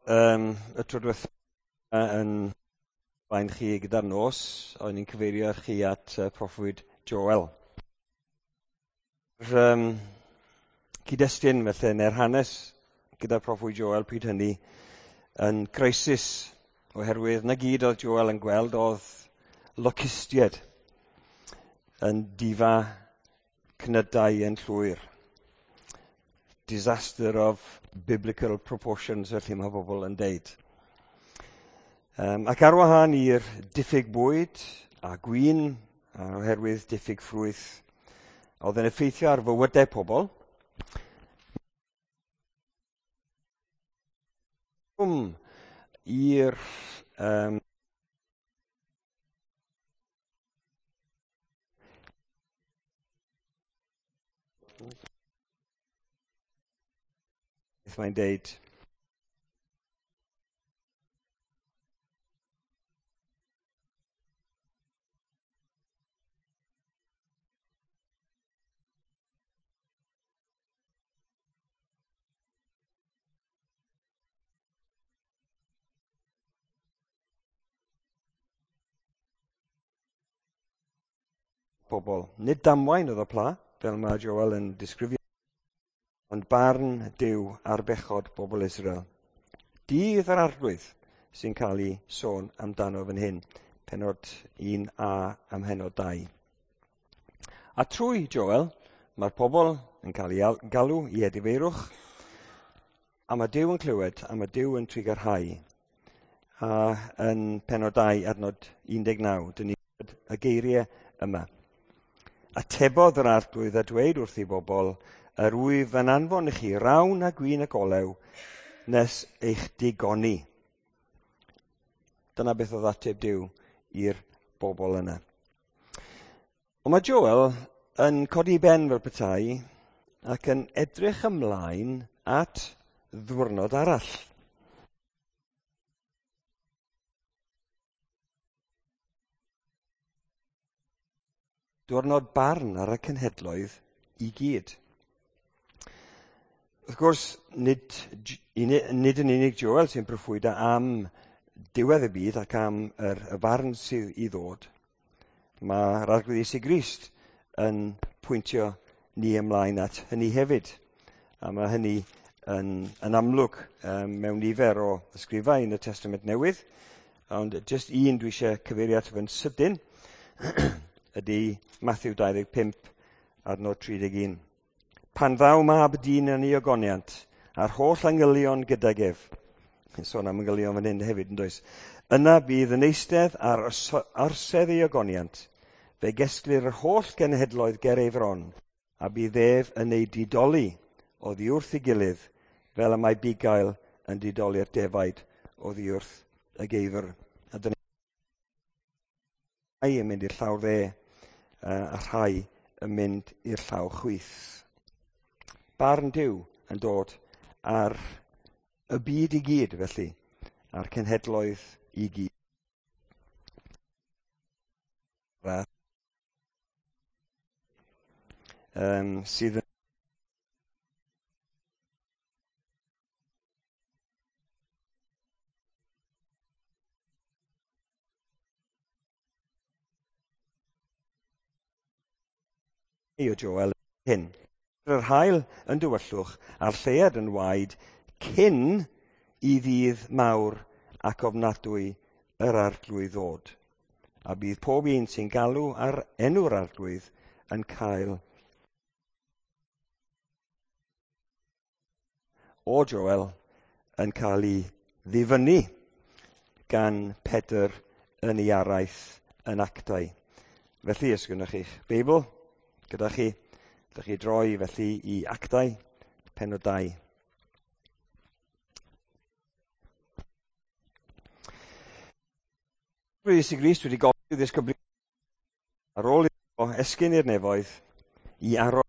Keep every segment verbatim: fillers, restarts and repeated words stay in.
Um, y tro diwethaf yn blaen chi gyda'r nos, o'n i'n cyfeirio chi at uh, proffwyd Joel. Yr um, cyd-destun felly, neu'r hanes gyda proffwyd Joel pryd hynny yn crisis, oherwydd na gyd oedd Joel yn gweld oedd locustiaid yn difa cnydau yn llwyr. Disaster of biblical proportions, felly mae bobl yn deud. Um, ac ar wahân i'r diffyg bwyd a gwin, a oherwydd diffyg ffrwyth, oedd yn effeithio ar fywydau pobl, i'r um, mae'n deud pobl. Nid damwain oedd y pla, fel mae Joel yn disgrifio, ond barn Duw ar bechod bobl Israel. Dydd yr Arglwydd sy'n cael ei sôn amdano fan hyn, penod un a am henod dau. A trwy Joel, mae'r pobl yn cael ei galw i edifeirwch, a mae Duw yn clywed, a mae Duw yn trugarhau. A yn penod dau, adnod un deg naw, dyn ni y geiriau yma. Atebodd yr Arglwydd a dweud wrth ei bobl, yr wyf yn anfon i chi rawn a gwin ac olew nes eich digoni. Dyna beth oedd ateb Duw i'r bobl yna. Ond mae Joel yn codi ben fel petai ac yn edrych ymlaen at ddiwrnod arall. Diwrnod barn ar y cenhedloedd i gyd. Wrth gwrs, nid, nid yn unig Joel sy'n proffwydo am diwedd y byd ac am yr, y farn sydd i ddod. Mae'r Arglwydd Iesu Grist yn pwyntio ni ymlaen at hynny hefyd. A mae hynny yn, yn amlwg um, mewn nifer o ysgrifau yn y Testament Newydd. Ond jyst un dwi eisiau cyfeirio ato fe'n sydyn ydy Matthew dau ddeg pump adnod tri deg un. Pan ddaw mab dyn yn ei ogoniant, a'r holl angylion gydag ef, sôn am angylion fan hyn hefyd yn does, yna bydd yn eistedd ar orsedd ei ogoniant, fe gesglir yr holl genhedloedd ger ei fron, a bydd ef yn ei didoli oddi wrth ei gilydd, fel y mae bugail yn didoli'r defaid oddi wrth y geifr. A dyna rhai yn mynd i'r llaw dde, a rhai yn mynd i'r llaw chwith. Barn Duw yn dod ar y byd i gyd, felly, a'r cenhedloedd i gyd. Um, sydd yn o Joel hyn. Yr haul yn dywyllwch a'r lleuad yn waed cyn i ddydd mawr ac ofnadwy yr Arglwydd ddod. A bydd pob un sy'n galw ar enw'r Arglwydd yn cael o Joel yn cael ei ddifynnu gan Pedr yn ei araith yn Actau. Felly, os gynnoch chi'ch Beibl gyda chi, ydych chi droi felly i Actau, penod dau. Iesu Grist wedi gofyn i'w ddisgyblion ar ôl iddo esgyn i'r nefoedd i aros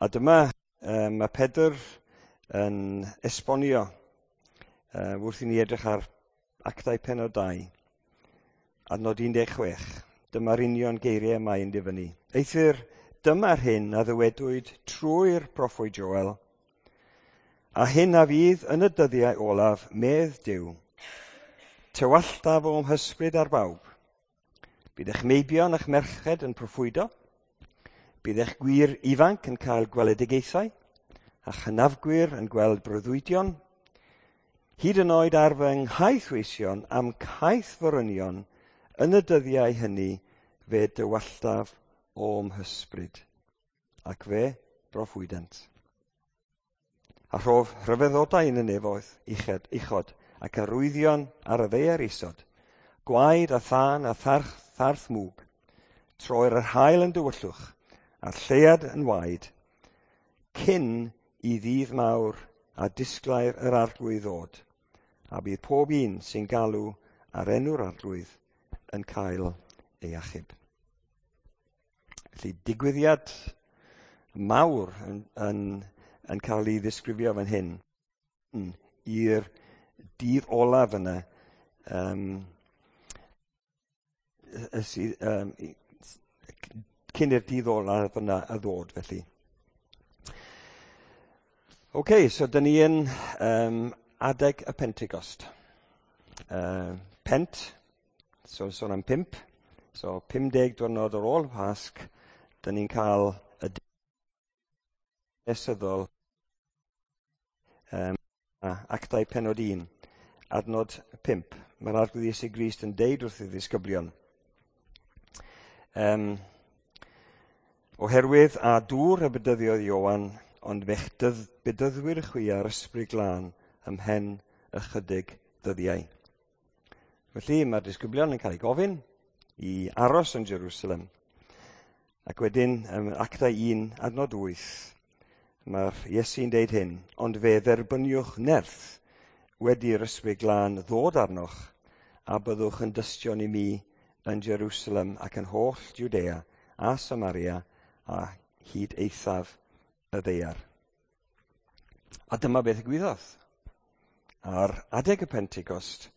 A dyma um, mae Pedr yn esbonio uh, wrth i ni edrych ar Actau penod dau, adnod un deg chwech. Dyma'r union geiriau mae'n difynnu. Eithr dyma'r hyn a ddywedwyd trwy'r proffwyd Joel, a hyn a fydd yn y dyddiau olaf, medd Duw, tywalltaf o'm hysbryd ar bawb. Bydd eich meibion a'ch merched yn proffwydo, bydd eich gwŷr ifanc yn cael gweledigaethau, a chynafgwyr yn gweld breuddwydion, hyd yn oed ar fy nghaethweision am caethforynion, yn y dyddiau hynny fe dywalltaf o'm hysbryd. Ac fe broffwydent. A rhof rhyfeddodau yn y nefoedd uched, uchod ac arwyddion ar y ddaear isod, gwaed a thân a tharth, tharth mwg, troi'r yr haul yn dywyllwch a'r lleuad yn waed, cyn i ddydd mawr a disglair yr Arglwydd ddod, a bydd pob un sy'n galw ar enw'r Arglwydd yn cael ei achub. Felly digwyddiad mawr yn, yn, yn cael ei ddisgrifio fan hyn i'r dydd olaf yna, um, sydd, um, cyn i'r dydd olaf yna y ddod felly. OK, so dyn ni yn um, adeg y Pentecost. Uh, pent, so sôn am pump, so pum deg diwrnod ar ôl Pasg, dyn ni'n cael y nesyddol um, Actau pennod un, adnod pump. Mae'r Arglwydd Iesu Grist yn deud wrth ei ddisgyblion. Um, oherwydd a dŵr y bedyddiodd Ioan, ond fe'ch dydd, bedyddwyr chwi ar Ysbryd Glân ymhen ychydig ddyddiau. Felly mae'r disgyblion yn cael eu gofyn i aros yn Jerusalem. Ac wedyn, ym Actau un, adnod wyth, mae'r Iesu'n deud hyn, ond fe dderbyniwch nerth wedi'r Ysbryd Glân ddod arnoch, a byddwch yn dystion i mi yn Jerusalem ac yn holl Judea a Samaria a hyd eithaf y ddaear. A dyma beth ddigwyddodd. Ar adeg y Pentecost,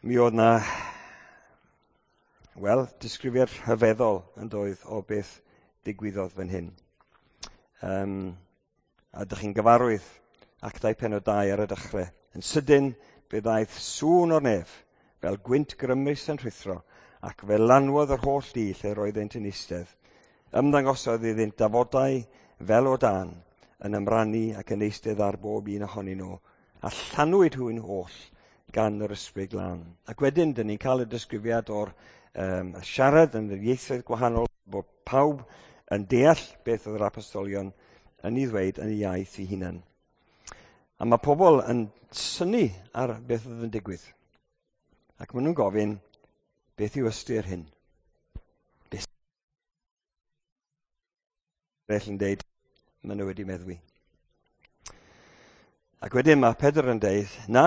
mi oedd na, wel, disgrifiad rhyfeddol yn doedd o beth digwyddodd fan hyn. Um, a dych chi'n gyfarwydd Actau pennod dau ar y dechrau. Yn sydyn, fe ddaeth sŵn o'r nef, fel gwynt grymus yn rhuthro, ac fe lanwodd yr holl dŷ lle roeddent yn eistedd. Ymddangosodd iddynt dafodau fel o dan, yn ymrannu ac yn eistedd ar bob un ohonyn nhw, a llanwyd hwy'n holl gan yr Ysbryd Glân. Ac wedyn, dyn ni'n cael y disgrifiad o'r um, siarad yn yr ieithoedd gwahanol, bod pawb yn deall beth oedd yr apostolion yn ei ddweud yn ei iaith ei hunan. A mae pobl yn synnu ar beth oedd yn digwydd. Ac maen nhw'n gofyn, beth yw ystyr hyn? Beth eraill yn deud, maen nhw wedi meddwi. Ac wedyn mae Pedr yn deud, na,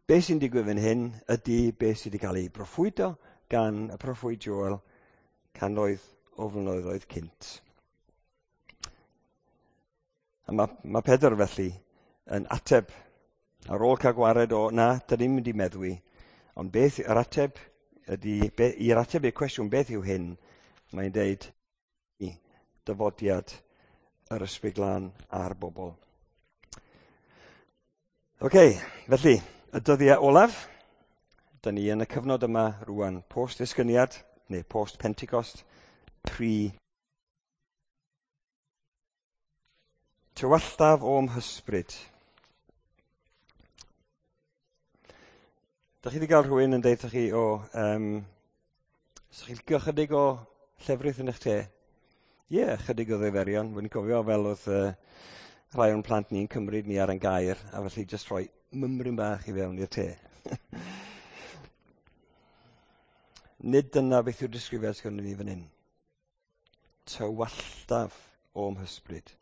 beth sy'n digwydd fan hyn ydy beth sydd wedi cael ei broffwydo gan y proffwyd Joel cannoedd o flynyddoedd cynt. A mae, mae Pedr felly yn ateb ar ôl cael gwared o, na, dyn ni'n mynd i meddwi, ond beth yr ateb ydy, be, i'r ateb i'r cwestiwn beth yw hyn, mae'n deud dyfodiad yr Ysbryd Glân a'r bobl. OK, felly, y dyddiau olaf, dyn ni yn y cyfnod yma rwan, post-esgyniad, neu post-Pentecost, pre tywalltaf o'm hysbryd. Dych chi wedi cael rhywun yn deud chi o, um, ydych chi'n licio chydig o llefrith yn eich te? Ie, yeah, chydig o ddiferion. Wy'n cofio fel oedd uh, rhai o'n plant ni'n cymryd ni ar ein gair, a felly jyst rhoi mymryn bach i fewn i'r te. Nid dyna beth yw'r disgrifiad sgynnon ni fan hyn. Tywalltaf o'm hysbryd.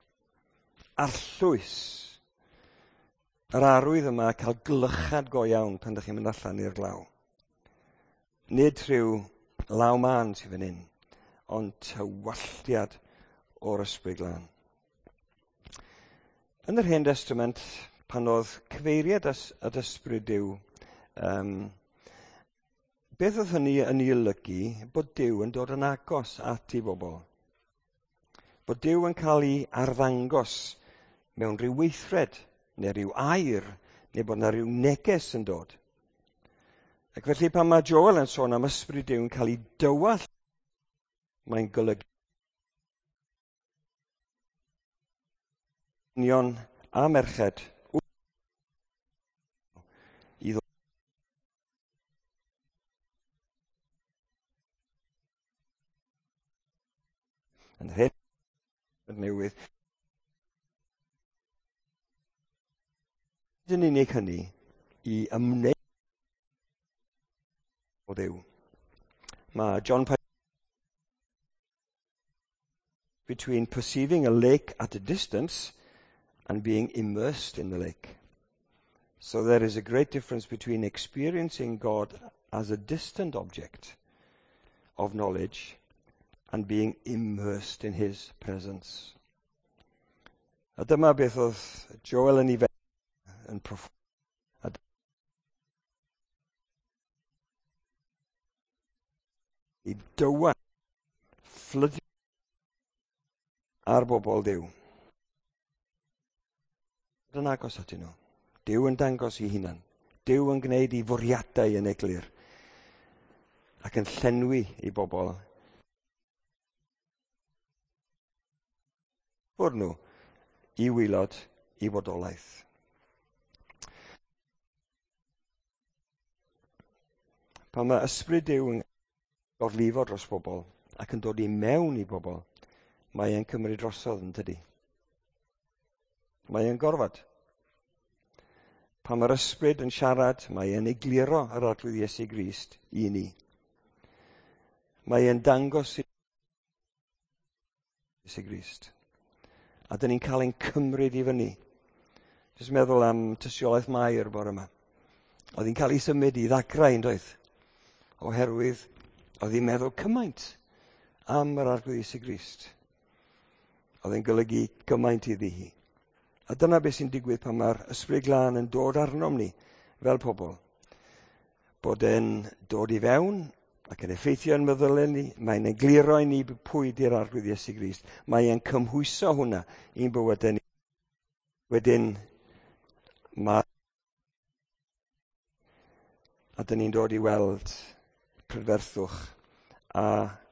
Arllwys. Yr arwydd yma cael glychad go iawn pan ydych chi'n mynd allan i'r glaw. Nid rhyw law mân sydd fan hyn, ond tywalltiad o'r Ysbryd Glân. Yn yr Hen Testament, pan oedd cyfeiriad at Ysbryd Duw, um, beth oedd hynny yn ei olygu? Bod Duw yn dod yn agos at ei bobl. Bod Duw yn cael ei arddangos mewn rhyw weithred, neu rhyw air, neu bod yna rhyw neges yn dod. Ac felly pan mae Joel yn sôn am ysbryd Duw yn cael ei dywallt, mae'n golygu dynion a merched i ddod yn yr hen newydd. Nid yn unig hynny i ymwneud o Dduw. Mae John Piper between perceiving a lake at a distance and being immersed in the lake. So there is a great difference between experiencing God as a distant object of knowledge and being immersed in his presence. A dyma beth oedd Joel yn ei feddwl yn proff... A i dywa fflydio ar bobl Duw. Yn agos atyn nhw. Duw yn dangos ei hunan. Duw yn gwneud ei fwriadau yn eglur ac yn llenwi i bobl. Fwrdd nhw i waelod i bodolaeth. Pan mae ysbryd Duw yn gorlifo dros bobl ac yn dod i mewn i bobl, mae e'n cymryd drosodd yn tydi. Mae e'n gorfod. Pan mae'r ysbryd yn siarad, mae e'n egluro yr Arglwydd Iesu Grist i ni. Mae e'n dangos i Iesu Grist. A dyn ni'n cael ein cymryd i fyny. Jyst meddwl am tystiolaeth Mair bore yma. Oedd hi'n cael ei symud i ddagrau yn doedd? Oherwydd oedd hi'n meddwl cymaint am yr Arglwydd Iesu Grist. Oedd e'n golygu gymaint iddi hi. A dyna beth sy'n digwydd pan mae'r Ysbryd Glân yn dod arnom ni fel pobl. Bod e'n dod i fewn ac yn effeithio yn meddyliau ni, mae'n egluro i ni pwy di'r Arglwydd Iesu Grist. Mae e'n cymhwyso hwnna i'n bywydau ni. Wedyn, mae... A dyn ni'n dod i weld prydferthwch a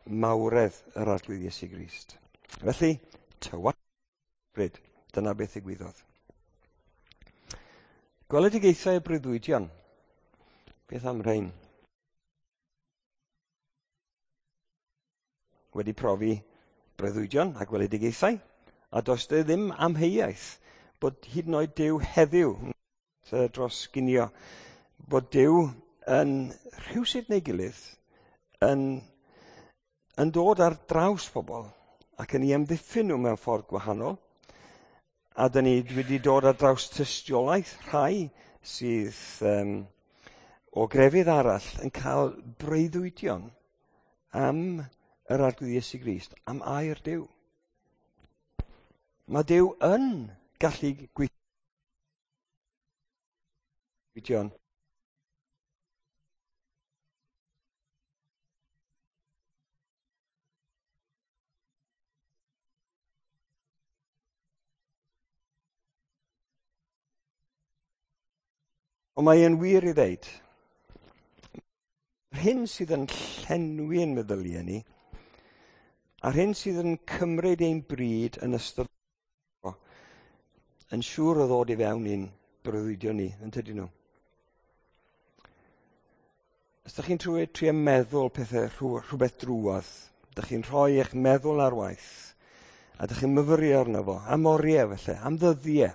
mawredd yr Arglwydd Iesu Grist. Felly, tywallt ysbryd. Dyna beth ddigwyddodd. Gweledigaethau y breuddwydion. Beth am rhain? Wedi profi breuddwydion a gweledigaethau, a does dy ddim amheuaeth bod hyd yn oed Duw heddiw dros ginio, bod Duw yn rhywsut neu gilydd yn, yn dod ar draws pobl ac yn ei amddiffyn nhw mewn ffordd gwahanol. A dyn ni wedi dod ar draws tystiolaeth rhai sydd um, o grefydd arall yn cael breuddwydion am yr Arglwydd Iesu Grist, am air Duw. Mae Duw yn gallu gweithio. Ond mae e'n wir i ddeud, yr hyn sydd yn llenwi ein meddyliau ni, a'r hyn sydd yn cymryd ein bryd yn ystod yn siŵr o ddod i fewn i'n breuddwydion ni, yn tydyn nhw. Os ydych chi'n trwy, trio meddwl pethau, rhywbeth drwodd, ydych chi'n rhoi eich meddwl ar waith, a ydych chi'n myfyrio arno fo, am oriau felly, am ddyddiau.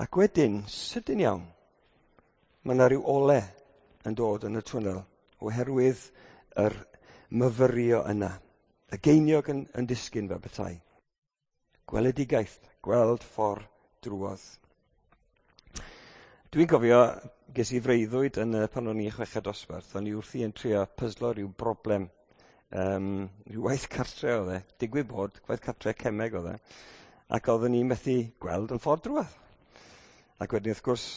Ac wedyn, sydyn iawn, mae yna rhyw ole yn dod yn y twnnel oherwydd yr myfyrio yna. Y geiniog yn, yn disgyn fel petai. Gweledigaeth, gweld ffordd drwodd. Dwi'n cofio, ges i freuddwyd yn, pan o'n i'n chweched dosbarth, o'n i wrthi yn trio pyslo rhyw broblem, um, rhyw waith cartre oedd e, digwydd bod, gwaith cartre cemeg oedd e, ac oeddwn i'n methu gweld yn ffordd drwodd. Ac wedyn, wrth gwrs,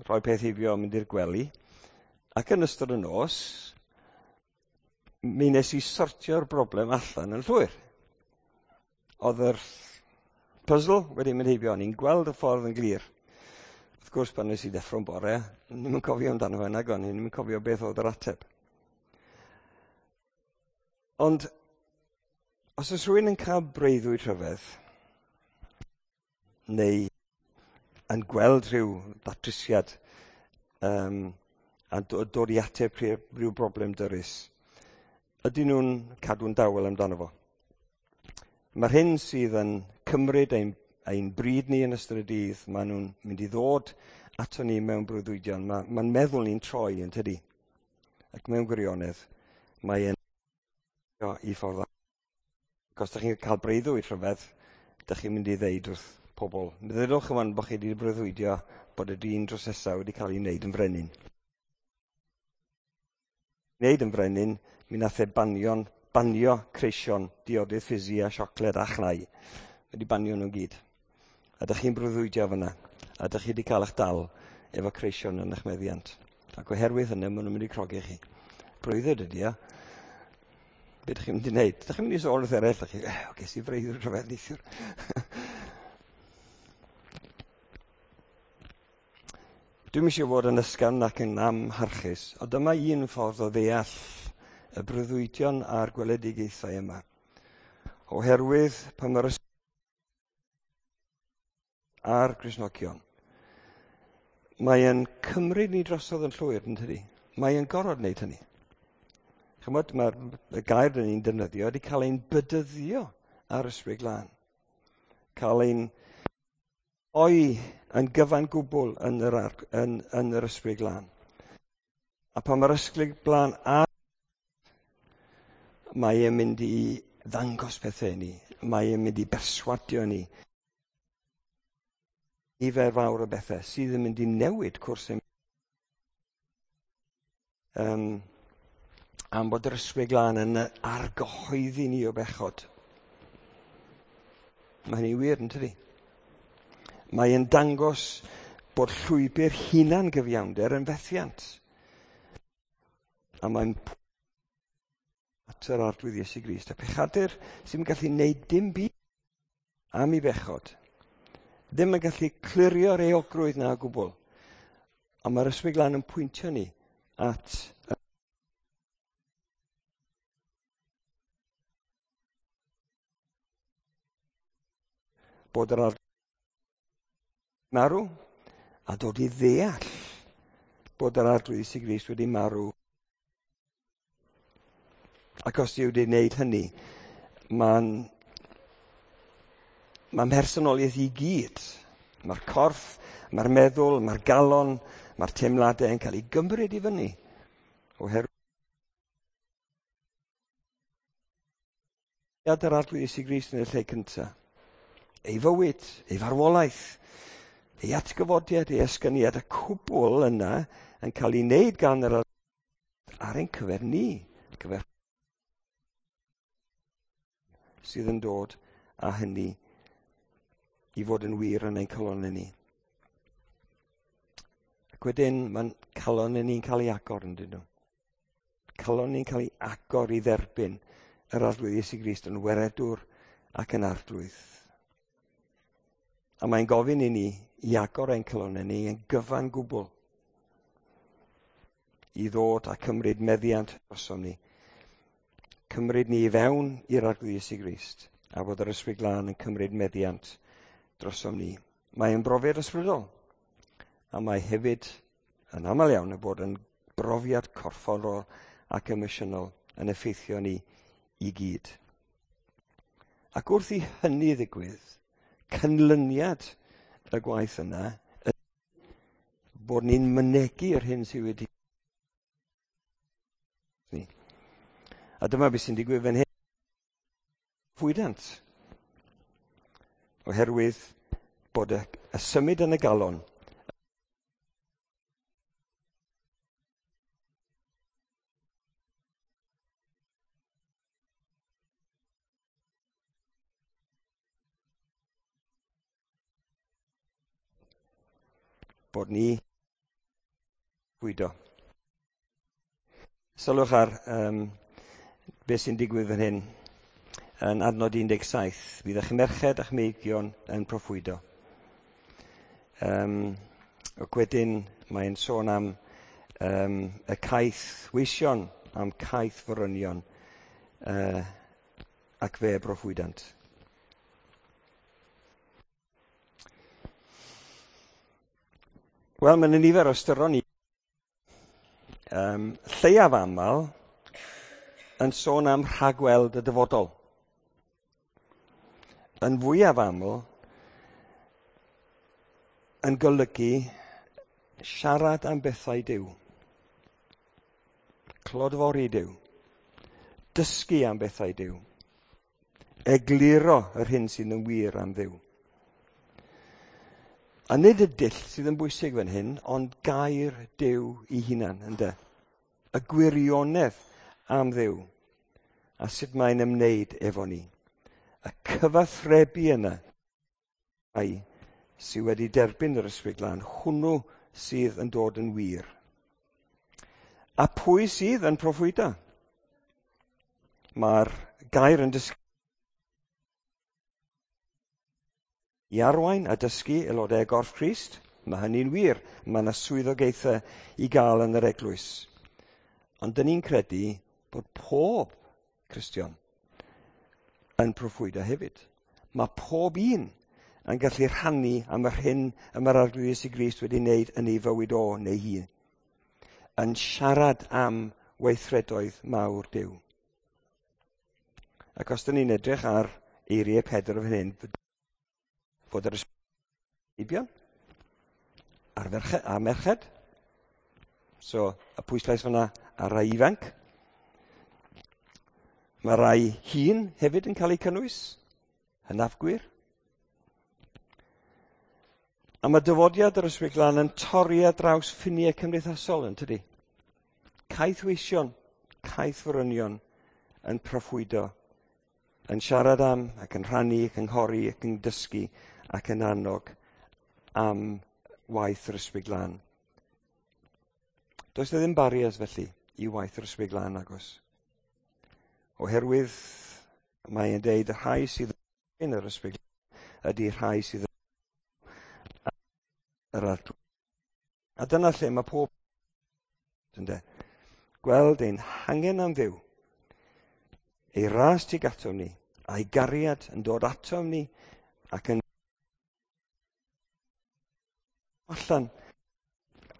rhoi peth heibio mynd i'r gwely. Ac yn ystod y nos, mi nes i sortio'r broblem allan yn llwyr. Oedd yr puzzle wedi mynd heibio, o'n i'n gweld y ffordd yn glir. Wrth gwrs, pan nes i ddeffro'n bore, ddim yn cofio amdano fe nag o'n i, ddim yn cofio beth oedd yr ateb. Ond, os oes rhywun yn cael breuddwyd rhyfedd, neu yn gweld rhyw ddatrysiad um, a dod i ateb rhyw broblem dyrys, ydyn nhw'n cadw'n dawel amdano fo? Mae'r hyn sydd yn cymryd ein, ein bryd ni yn ystod y dydd, maen nhw'n mynd i ddod ato ni mewn breuddwydion. Mae'n ma meddwl ni'n troi yn tydi. Ac mewn gwirionedd, mae'n i ffordd. Ac os ydych chi'n cael breuddwyd rhyfedd, ydych chi'n mynd i ddeud wrth pobl. Meddylwch yma bod chi wedi breuddwydio bod y dyn drws nesa wedi cael ei wneud yn frenin. Wneud yn frenin, mi nath e banion, banio creision, diodydd ffisi a siocled a chnau. Wedi banio nhw gyd. A ydych chi'n breuddwydio fyna. A ydych chi wedi cael eich dal efo creision yn eich meddiant. Ac oherwydd hynny, maen nhw'n mynd i crogi chi. Breuddwyd ydy o. Be ydych chi'n mynd i wneud? Ydych chi'n mynd i sôn wrth eraill? Ydych chi, eh, ges i breuddwyd rhyfedd neithiwr. Dwi'm eisiau fod yn ysgafn ac yn amharchus, ond dyma un ffordd o ddeall y breuddwydion a'r gweledigaethau yma. Oherwydd pan mae'r a'r Gristnogion, mae e'n cymryd ni drosodd yn llwyr, yn tydi? Mae e'n gorfod wneud hynny. Chymod, mae'r gair dyn ni'n defnyddio wedi cael ein bydyddio ar Ysbryd Glân. Cael ein oi yn gyfan gwbl yn yr, yn, yn yr Ysbryd Glân. A pan mae'r Ysbryd Glân ar, mae e'n mynd i ddangos pethau i ni. Mae e'n mynd i berswadio ni. Nifer fawr o bethau sydd yn mynd i newid cwrs ein um, am bod yr Ysbryd Glân yn argyhoeddi ni o bechod. Mae hynny'n wir, yn tydi? Mae e'n dangos bod llwybr hunan gyfiawnder yn fethiant. A mae'n at yr Arglwydd Iesu Grist. A pechadur sy'n gallu gwneud dim byd am ei bechod. Ddim yn gallu clirio'r euogrwydd na o gwbl. A mae'r Ysbryd Glân yn pwyntio ni at bod yr Arglwydd marw a dod i ddeall bod yr Arglwydd Iesu Grist wedi marw. Ac os yw wedi wneud hynny, mae'n mae'n personoliaeth i gyd. Mae'r corff, mae'r meddwl, mae'r galon, mae'r teimladau yn cael ei gymryd i fyny. Oherwydd yr Arglwydd Iesu Grist yn y lle cyntaf. Ei fywyd, ei farwolaeth, ei atgyfodiad, ei esgyniad, y cwbl yna yn cael ei wneud gan yr ar ein cyfer ni, cyfer sydd yn dod â hynny i fod yn wir yn ein calonnau ni. Ac wedyn mae'n calonnau ni'n cael ei agor yn dyn nhw. Calon ni'n cael ei agor i dderbyn yr Arglwydd Iesu Grist yn weredwr ac yn arglwydd. A mae'n gofyn i ni i agor ein calonnau ni yn gyfan gwbl i ddod a cymryd meddiant drosom ni. Cymryd ni i fewn i'r Arglwydd Iesu Grist a bod yr Ysbryd Glân yn cymryd meddiant drosom ni. Mae'n brofiad ysbrydol a mae hefyd yn aml iawn yn bod yn brofiad corfforol ac emosiynol yn effeithio ni i gyd. Ac wrth i hynny ddigwydd, canlyniad y gwaith yna, bod ni'n mynegi yr hyn sydd wedi ni. A dyma beth sy'n digwydd fan hyn. Fwydant. Oherwydd bod y, y symud yn y galon bod ni bwydo. Sylwch ar um, beth sy'n digwydd fan hyn. yn adnod un deg saith. Bydd eich merched a'ch meibion yn proffwydo. Um, ac wedyn mae'n sôn am um, y caeth weision, am caeth forynion, uh, ac fe broffwydant. Wel, mae'n nifer o ystyron ni. Um, lleiaf aml yn sôn am rhagweld y dyfodol. Yn fwyaf aml yn golygu siarad am bethau Duw, clodfori Duw, dysgu am bethau Duw, egluro yr hyn sydd yn wir am Dduw. A nid y dull sydd yn bwysig fan hyn, ond gair Duw ei hunan, ynde? Y gwirionedd am Dduw, a sut mae'n ymwneud efo ni. Y cyfathrebu yna, ai, sydd wedi derbyn yr Ysbryd Glân, hwnnw sydd yn dod yn wir. A pwy sydd yn proffwydo? Mae'r gair yn dysgu i arwain a dysgu aelodau gorff Crist. Mae hynny'n wir. Mae yna swyddogaethau i gael yn yr eglwys. Ond dyn ni'n credu bod pob Cristion yn proffwydo hefyd. Mae pob un yn gallu rhannu am yr hyn y mae'r Arglwydd Iesu Grist wedi wneud yn ei fywyd o neu hi. Yn siarad am weithredoedd mawr Duw. Ac os dyn ni'n edrych ar eiriau Pedr fan hyn, fod yr ysbeibion a'r ferched, a merched. So, y pwyslais fyna ar rai ifanc. Mae rai hŷn hefyd yn cael eu cynnwys, hynafgwyr. A mae dyfodiad yr Ysbryd Glân yn torri ar draws ffiniau cymdeithasol, yn tydi? Caethweision, caethforynion yn proffwydo, yn siarad am ac yn rhannu, ac yn cynghori, ac yn dysgu, ac yn annog am waith yr Ysbryd Glân. Does 'na ddim barriers felly i waith yr Ysbryd Glân, agos. Oherwydd mae'n deud y rhai sydd yn yr Ysbryd Glân ydy rhai sydd yn yr Arglwydd. A dyna lle mae pob ynde. Gweld ein hangen am Dduw, ei ras tuag atom ni, a'i gariad yn dod atom ni ac yn allan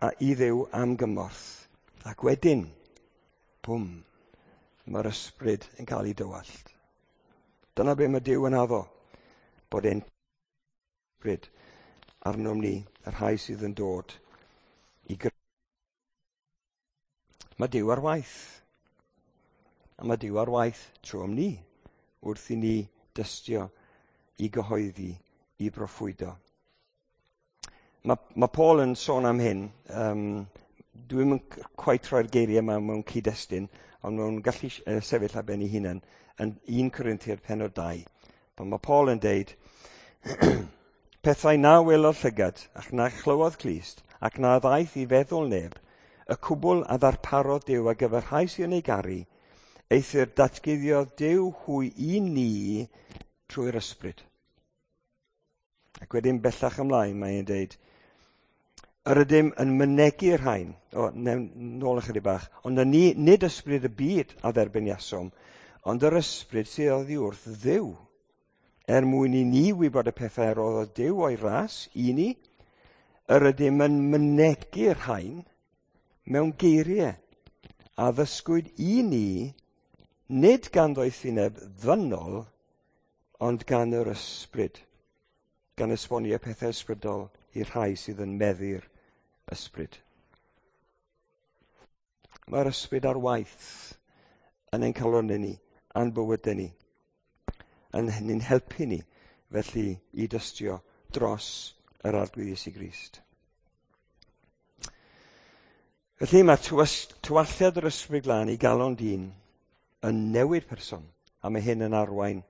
a i Dduw am gymorth. Ac wedyn, bwm, mae'r ysbryd yn cael ei dywallt. Dyna be mae Duw yn addo, bod e'n ysbryd arnom ni, y rhai sydd yn dod i gyrraedd. Mae Duw ar waith. A mae Duw ar waith trwom ni, wrth i ni dystio, i gyhoeddi, i broffwydo. Mae, mae Paul yn sôn am hyn. Um, dwi'm yn cweit rhoi'r geiriau yma mewn cyd-destun, ond mewn gallu uh, sefyll ar ben ei hunan yn un Corinthiaid pennod dau. Pan mae Paul yn deud, pethau na welodd llygad, ac na chlywodd clust, ac na ddaeth i feddwl neb, y cwbl a ddarparodd Duw ar gyfer rhai sy'n ei garu, eithr datguddiodd Duw hwy i ni trwy'r ysbryd. Ac wedyn bellach ymlaen mae'n deud, yr ydym yn mynegu'r rhain, o, nôl ychydig bach, ond ni, nid ysbryd y byd a dderbyniasom, ond yr ysbryd sydd oddi wrth Dduw, er mwyn i ni wybod y pethau a roddodd Duw o'i ras i ni, yr ydym yn mynegu'r rhain mewn geiriau a ddysgwyd i ni, nid gan ddoethineb ddynol, ond gan yr ysbryd, gan esbonio pethau ysbrydol i'r rhai sydd yn meddu'r ysbryd. Mae'r ysbryd ar waith yn ein calonnau ni, a'n bywydau ni, yn ni'n helpu ni felly i dystio dros yr Arglwydd Iesu Grist. Felly mae tywalliad yr Ysbryd Glân i galon dyn yn newid person, a mae hyn yn arwain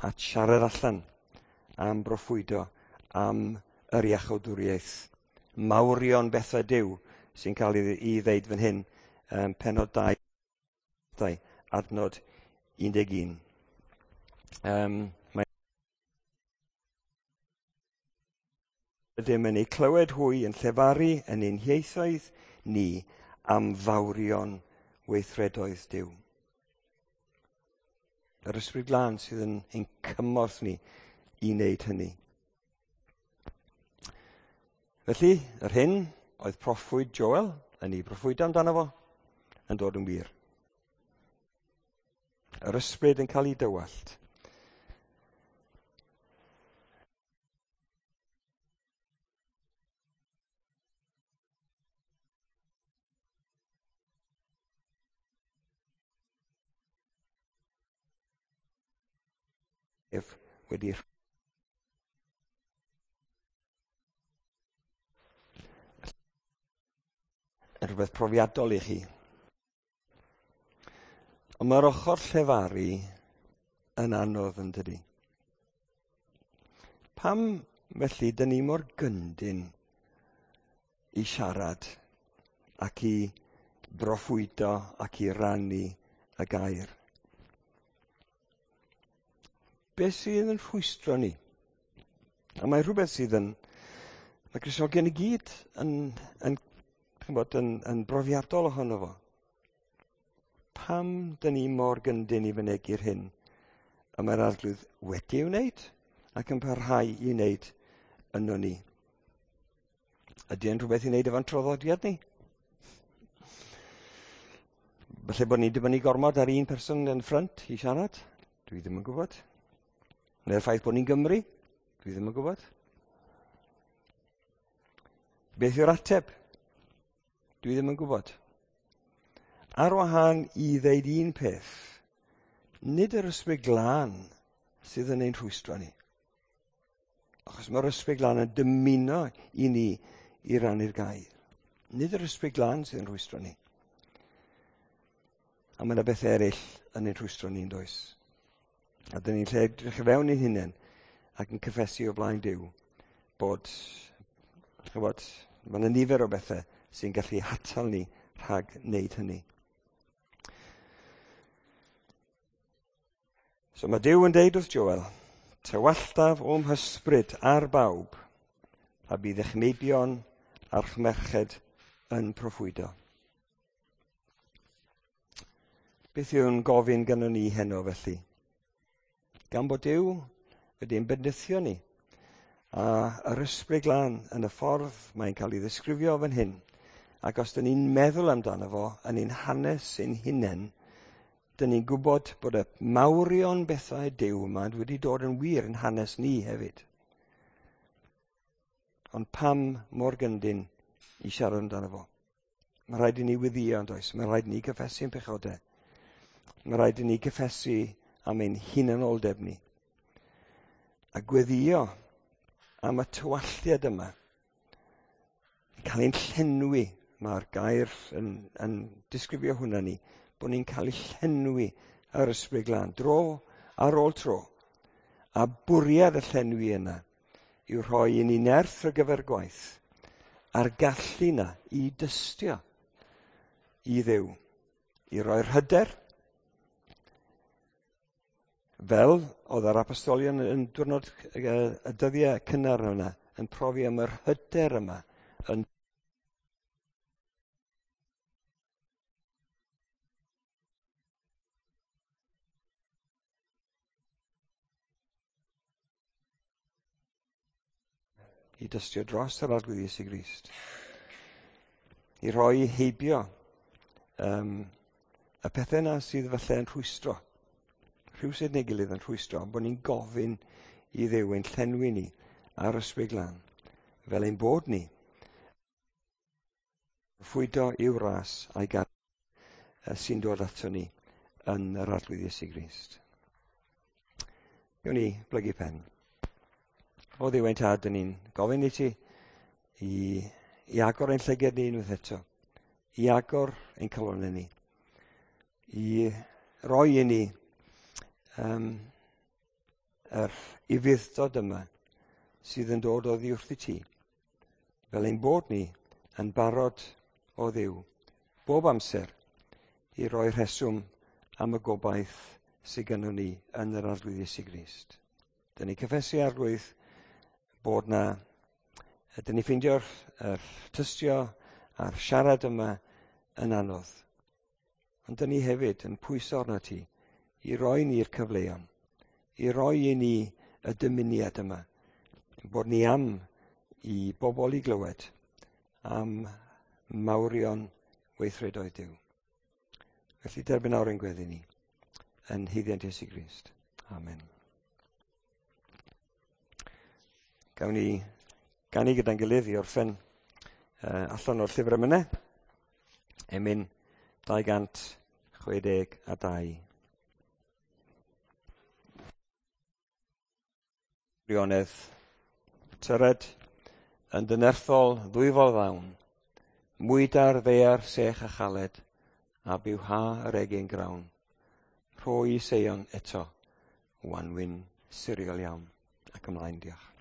at siarad allan am broffwydo, am yr iachawdwriaeth. Mawrion bethau Duw sy'n cael ei, ei ddeud fan hyn, um, pennod dau, adnod un deg un. Um, mae ydym yn eu clywed hwy yn llefaru yn ein hieithoedd ni am fawrion weithredoedd Duw. Yr Ysbryd Glân sydd yn ein cymorth ni i wneud hynny. Felly, yr hyn oedd proffwyd Joel yn ei broffwydo amdano fo, yn dod yn wir. Yr ysbryd yn cael ei dywallt. Ef wedi yn rhywbeth profiadol i chi. Ond mae'r ochr llefaru yn anodd yn dydi. Pam felly dyn ni mor gyndyn i siarad ac i broffwydo ac i rannu y gair? Beth sydd yn rhwystro ni? A mae rhywbeth sydd yn... Mae Cristnogion i gyd yn, yn, ch'mbod, yn, yn brofiadol ohono fo. Pam dyn ni mor gyndyn i fynegi'r hyn y mae'r Arglwydd wedi ei wneud ac yn parhau i wneud yno ni? Ydy e'n rhywbeth i wneud efo'n traddodiad ni? Falle bod ni'n dibynnu gormod ar un person yn ffrynt i siarad? Dwi ddim yn gwybod. Neu'r ffaith bod ni'n Gymru? Dwi ddim yn gwybod. Beth yw'r ateb? Dwi ddim yn gwybod. Ar wahân i ddeud un peth, nid yr Ysbryd Glân sydd yn ein rhwystro ni. Achos mae'r Ysbryd Glân yn dymuno i ni i rannu'r gair. Nid yr Ysbryd Glân sydd yn rhwystro ni. A mae yna bethau eraill yn ein rhwystro ni'n does. A dyn ni'n lle edrych i fewn i'n hunain ac yn cyffesu o flaen Duw bod, ch'bod, mae yna nifer o bethau sy'n gallu hatal ni rhag wneud hynny. So mae Duw yn deud wrth Joel, tywalltaf o'm hysbryd ar bawb, a bydd eich meibion a'r merched yn proffwydo. Beth yw'n gofyn gynnon ni heno felly? Gan bod Duw wedi'n bendithio ni, a yr Ysbryd Glân yn y ffordd mae'n cael ei ddisgrifio fan hyn, ac os dyn ni'n meddwl amdano fo yn ein hanes ein hunain, dyn ni'n gwybod bod y mawrion bethau Duw yma wedi dod yn wir yn hanes ni hefyd. Ond pam mor gyndyn i siarad amdano fo? Mae rhaid i ni weddïo yn does? Mae rhaid i ni gyffesu'n pechodau. Mae rhaid i ni gyffesu am ein hunanoldeb ni. A gweddïo am y tywalliad yma. Cael ein llenwi, mae'r gair yn, yn disgrifio hwnna ni, bod ni'n cael ei llenwi ar Ysbryd Glân, dro ar ôl tro. A bwriad y llenwi yna yw rhoi i ni nerth ar gyfer gwaith a'r gallu yna i dystio i Dduw, i roi'r hyder, fel oedd yr apostolion yn diwrnod y dyddiau cynnar yna, yn profi am yr hyder yma, yn i dystio dros yr Arglwydd Iesu Grist, i roi heibio um, y pethau yna sydd falle yn rhwystro, rhywsut neu gilydd yn rhwystro, bod ni'n gofyn i Dduw ein llenwi ni ar Ysbryd Glân, fel ein bod ni ffwydo i'w ras a'i gar sy'n dod ato ni yn yr Arglwydd Iesu Grist. Gawn ni blygu pen. O Dduw ein Tad, dyn ni'n gofyn i ti i, i agor ein llygad ni unwaith eto, i agor ein calonnau ni, i roi i ni um, yr ufudd-dod yma sydd yn dod oddi wrth i ti, fel ein bod ni yn barod o Dduw, bob amser, i roi rheswm am y gobaith sydd gynnon ni yn yr Arglwydd Iesu Grist. Dyn ni cyffesu, Arglwydd, bod na, dyn ni ffeindio'r er tystio a'r siarad yma yn anodd. Ond dyn ni hefyd yn pwyso arno ti i roi ni'r cyfleon, i roi i ni y dymuniad yma, bod ni am i bobl i glywed am mawrion weithredoedd Duw. Felly derbyn nawr ein gweddi ni yn haeddiant Iesu Grist. Amen. Gawn ni ganu gyda'n gilydd i orffen uh, allan o'r llyfr emynau. Emyn dau gant chwe deg a dau. Gwirionedd, tyred yn dynerthol ddwyfol ddawn, mwyda'r ddaear sech a chaled, a bywha yr egin grawn. Rhoi i Seion eto, wanwyn siriol iawn. Ac ymlaen, diolch.